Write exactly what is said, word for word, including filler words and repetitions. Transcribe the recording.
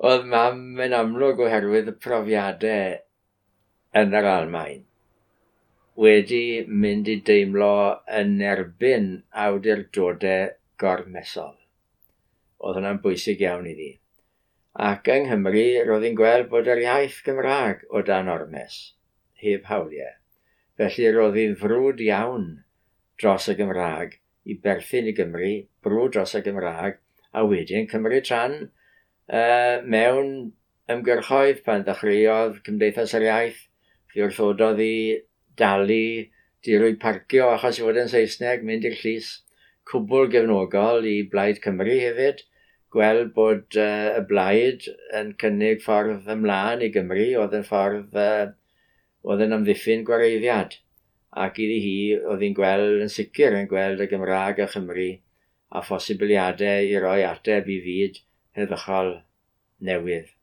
Oedd mam yn amlwg oherwydd y profiadau yn yr Almaen wedi mynd i deimlo yn erbyn awdurdodau gormesol. Oedd hwnna'n bwysig iawn iddi. Ac yng Nghymru, roedd hi'n gweld bod yr iaith Gymraeg o dan ormes, heb hawliau. Felly roedd hi'n frwd iawn dros y Gymraeg i berthyn i Gymru, brwd dros y Gymraeg, a wedyn cymryd rhan uh, mewn ymgyrchoedd pan ddechreuodd Cymdeithas yr Iaith, fe wrthododd i dalu dirwy parcio achos i fod yn Saesneg, mynd i'r llys, cwbl gefnogol i Blaid Cymru hefyd, gweld bod uh, y Blaid yn cynnig ffordd ymlaen i Gymru, oedd yn ffordd uh, oedd yn amddiffyn gwareiddiad. Ac iddi hi, oedd hi'n gweld yn sicr yn gweld y Gymraeg a Chymru a phosibiliadau i roi ateb i fyd heddychol newydd.